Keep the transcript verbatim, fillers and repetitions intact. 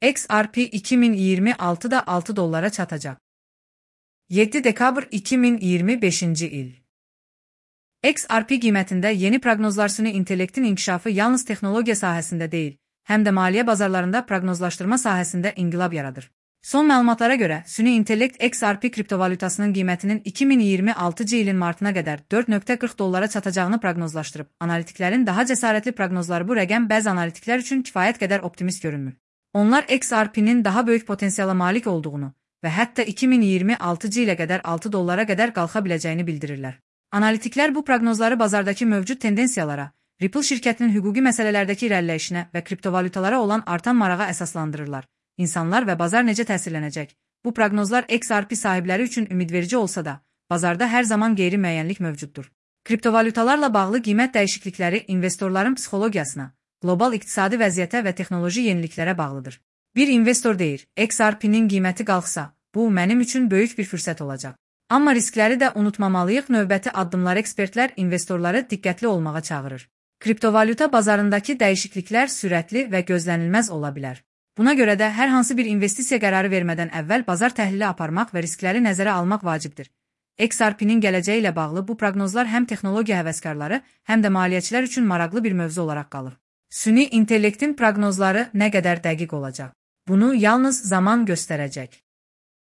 X R P iki min iyirmi altıda altı dollara çatacak. yeddi dekabr iki min iyirmi beşinci il. X R P qiymətində yeni proqnozlar süni intellektin inkişafı yalnız texnologiya sahəsində deyil, həm də maliyyə bazarlarında proqnozlaşdırma sahəsində inqilab yaradır. Son məlumatlara görə, süni intellekt X R P kriptovalyutasının qiymətinin iki min iyirmi altıncı ilin martına qədər dörd nöqtə qırx dollara çatacağını proqnozlaşdırıb. Analitiklərin daha cəsarətli proqnozları bu rəqəm bəzi analitiklər üçün kifayət qədər optimist görünmür. Onlar X R P'nin daha böyük potensiala malik olduğunu və hətta iki min iyirmi altıncı ilə qədər altı dollara qədər qalxa biləcəyini bildirirlər. Analitiklər bu proqnozları bazardakı mövcud tendensiyalara, Ripple şirkətinin hüquqi məsələlərdəki irəliləyişinə və kriptovalyutalara olan artan marağa əsaslandırırlar. İnsanlar və bazar necə təsirlənəcək? Bu proqnozlar X R P sahibləri üçün ümidverici olsa da, bazarda hər zaman qeyri-müəyyənlik mövcuddur. Kriptovalyutalarla bağlı qiymət dəyişiklikləri investorların psixologiyasına, qlobal iqtisadi vəziyyətə və texnoloji yeniliklərə bağlıdır. Bir investor deyir, X R P'nin qiyməti qalxsa, bu mənim üçün böyük bir fürsət olacaq. Amma riskləri də unutmamalıyıq, növbəti addımlar ekspertlər investorları diqqətli olmağa çağırır. Kriptovalyuta bazarındakı dəyişikliklər sürətli və gözlənilməz ola bilər. Buna görə də hər hansı bir investisiya qərarı vermədən əvvəl bazar təhlili aparmaq və riskləri nəzərə almaq vacibdir. X R P'nin gələcəyi ilə bağlı bu proqnozlar həm texnologiya həvəskarları, həm də maliyyəçilər üçün maraqlı bir mövzu olaraq qalır. Süni intellektin proqnozları nə qədər dəqiq olacaq? Bunu yalnız zaman göstərəcək.